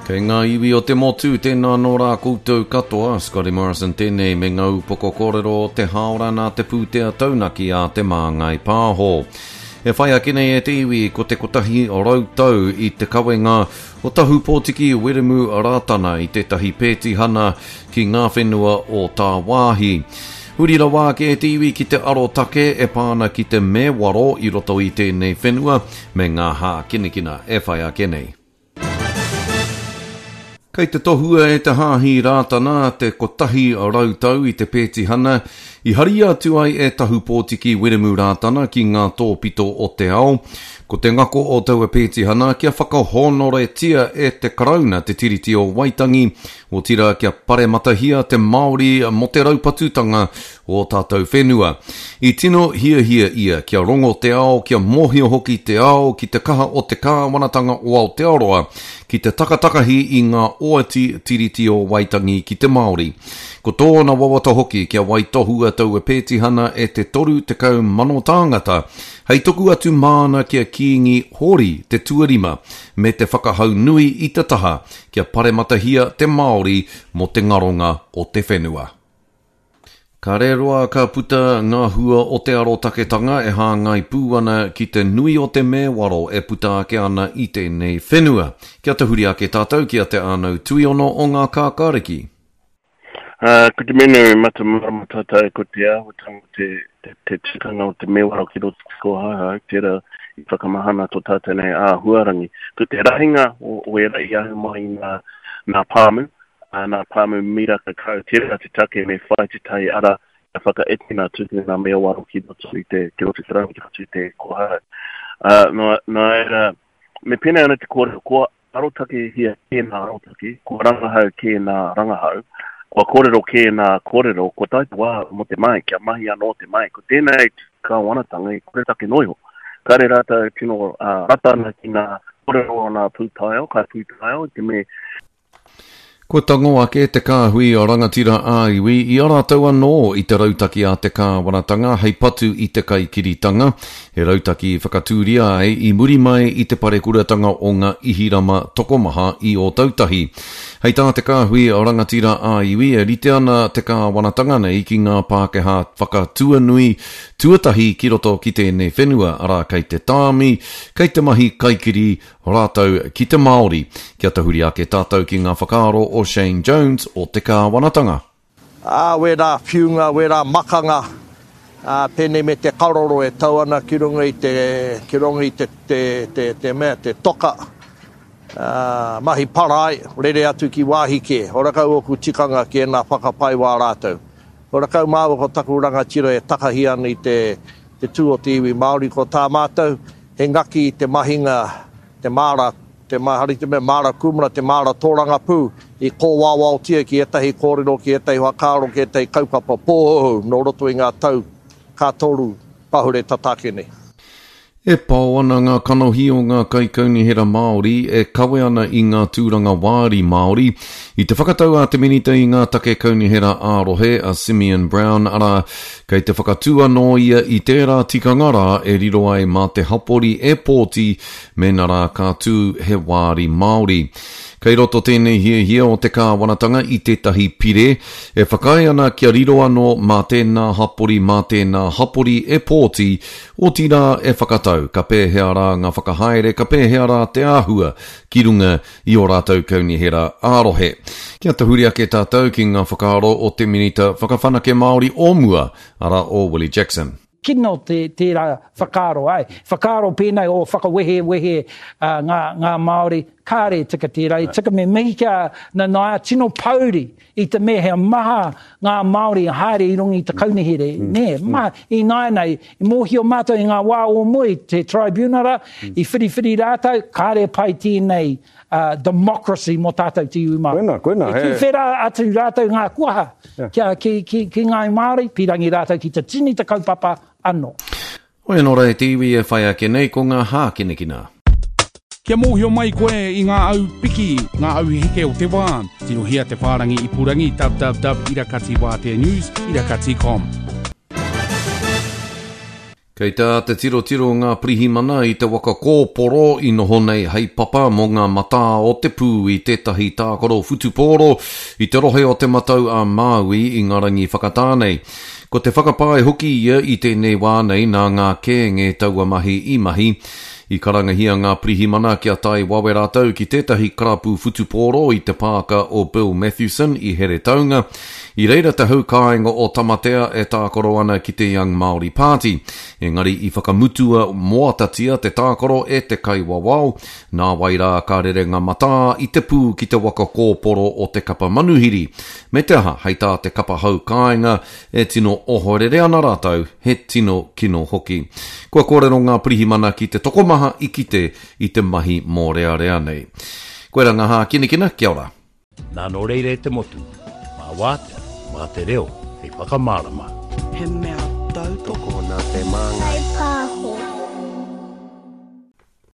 Kei ngā iwi o te motu, tēnā nō rā koutou katoa, Scotty Morrison tēnei me ngā upoko kōrero o te hāora nā te pūtea taunaki a Te Māngai Pāho. E whai ake nei e te iwi ko te 100 tau i te kawenga o Tahupōtiki Wiremu Rātana i tētahi pētihana ki ngā whenua o tāwāhi. Huri rawa ake e te iwi ki te arotake e pā ana ki te mewaro i roto i tēnei whenua me ngā hākinakina e whai ake nei. Kei te tohua e te Hāhi Rātana te 100 tau i te pētihana i haria atu ai e Tahupōtiki Wiremu Rātana ki ngā tōpito o te ao. Ko te ngako o taua pētihana kia whakahōnoretia e te Karauna te Tiriti o Waitangi, otirā kia parematahia te Māori mō te raupatutanga o ō tātou whenua. I tino hiahia ia kia rongo te ao, kia mōhio hoki te ao ki te kaha o te kāwanatanga o Aotearoa ki te takatakahi i ngā oati Tiriti o Waitangi ki te Māori. Ko tōna wawata hoki kia waitohua taua pētihana e te 30,000 tāngata hei tuku atu māna ki a Kīngi Hōri te Tuarima me te whakahau nui i te taha kia parematahia te Māori mō te ngaronga o te whenua. Ka reroa ka puta ngā hua o te arotaketanga e hāngai pū ana ki te nui o te mēwaro e puta ake ana i tēnei whenua. Kia tahuri ake tātou ki a Te Ānau Tuiono o Ngā Kākāriki. Ko te mea nui mata marama tātou ko te āhuatanga o te, te, te tikanga o te mēwaro ki roto te kōhauhau, tērā i whakamahana tō tātou nei āhuarangi. Ko te rahinga o, o ērā i ahu mai i ngā, ngā pāmu, ā, nā pāmu miraka kau, tērā te take me whai tētahi ara kia whakaekena tūpuna mewaro ki roto i te, ki roto i te rau, ki roto i te kōhanga. Ā, nō, nō reira, me pēnei ana te kōrero, kua arotakehia kē nā arotake, kua rangahau kē nā rangahau, kua kōrero kē nā kōrero, kua tae te wā mō te mahi, kia mahi anō te mahi. Ko tēnei kāwanatanga i koretake noa iho. Kāre rātou tino uh, rata ana ki ngā kōrero o ngā pūtaiao, kai pūtaiao, i te me Kua tango ake te kāhui rangatira ā-iwi i a rātou anō i te rautaki a te kāwanatanga hei patu i te kaikiritanga, he rautaki i whakatūria ai i muri mai i te parekuratanga o ngā Ihirama tokomaha i Ōtautahi. Hei tā te kāhui rangatira ā-iwi e rite ana te kāwanatanga nei ki ngā Pākehā whakatuanui tuatahi ki roto ki tēnei whenua, arā kei te tāmi, kei te mahi kaikiri Rātou ki te Māori. Kia tahuri ake tātou ki ngā whakaaro o Shane Jones o te kāwanatanga. Ā, wērā whiunga, wērā makanga, ā, pēnei me te karoro e tau ana ki runga i te, ki runga i te, te, te, te mea, te toka, ā, mahi parae, rere atu ki wāhi kē. Horakau ōku tikanga ki ēnā whakapae wā rātou. Horakau māua ko taku rangatira e takahi ana i te, te tū o te iwi Māori. Ko tā mātou, He ngaki i te mahinga, te māra, te hari te mea māra kūmara, te māra tōrangapū i kōwaowaotia ki ētahi kōrero, ki ētahi whakaaro, ki ētahi kaupapa pōhouhou nō roto i ngā tau ka toru pahure tata ake nei. E pao ana ngā kanohi o ngā kaikaunihera Māori e kawe ana i ngā tūranga wāri Māori i te whakatau a te Minita i ngā take kaunihera ā-rohe a Simeon Brown, arā, Kei te whakatū anō ia i tērā tikanga rā e riro ai mā te hapori e pōti mēnā rā ka tū he wāri Māori. Kei roto tēnei hiahia o te kāwanatanga i tētahi pire e whakaae ana kia riro anō mā tēnā hapori mā tēnā hapori e pōti, otirā e whakatau ka pēhea rā ngā whakahaere ka pēhea rā te āhua ki runga i ō rātou kaunihera ā-rohe. Kia tahuri ake tātou ki ngā whakaaro o te Minita Whakawhanake Māori o mua, arā o Willie Jackson. Kino te, tērā whakaaro, āe. Whakaaro pēnei o whakawehewehe ngā, ngā Māori, kāre e tika tērā. E tika me mihi ki a Nanaia, tino pouri i te mea he maha ngā Māori i haere i runga i te kaunihere, nē, maha. Ināianei, i mōhio mātou i ngā wā o mua i te tribunara, i whiriwhiri rātou, kāre pai tēnei democracy mō tātou te iwi Māori. Koina, koina, he. I tuwhera atu rātou ngā kuaha kia, ki, ki, ki ngāi Māori, pīrangi rātou ki te tini te kaupapa anō. Hoi anō rā e te iwi e whai ake nei ko ngā hākinakina. Kia mōhio mai koe i ngā au piki, ngā au heke o te wā, tirohia te whārangi ipurangi www irakatiwāteanews irakati com. Kei te āta tirotiro ngā pirihimana i te waka kōporo i noho nei hei papa mō ngā matā o te pū i tētahi tākaro whutupōro i te rohe o Te Matau a Māui i ngā rangi whakatā nei. Ko te whakapae hoki ia i tēnei wā nei nā ngā kēnge taua mahi i mahi. I karangahia ngā pirihimana kia tae wawe rātou ki tētahi karapu whutupōro i te pāka o Bill Mathewson i Heretaunga. I reira te hau kāinga o Tamatea e tākaro ana ki te Young Māori Party. Engari i whakamutua moatatia te tākaro e te kaiwawao, nāwai rā ka rere ngā matā i te pū ki te waka kōporo o te kapa manuhiri. Me te aha, hei tā te kapa hau kāinga, e tino ohorere ana rātou, he tino kino hoki. Kua kōrero ngā pirihimana ki te tokomaha i kite i te mahi mōrearea nei. Koira ngā hākinakina, kia ora. Nā nō reira e te motu, mā wātea, mā te reo hei whakamārama. He mea tautoko. Tokona te māngai.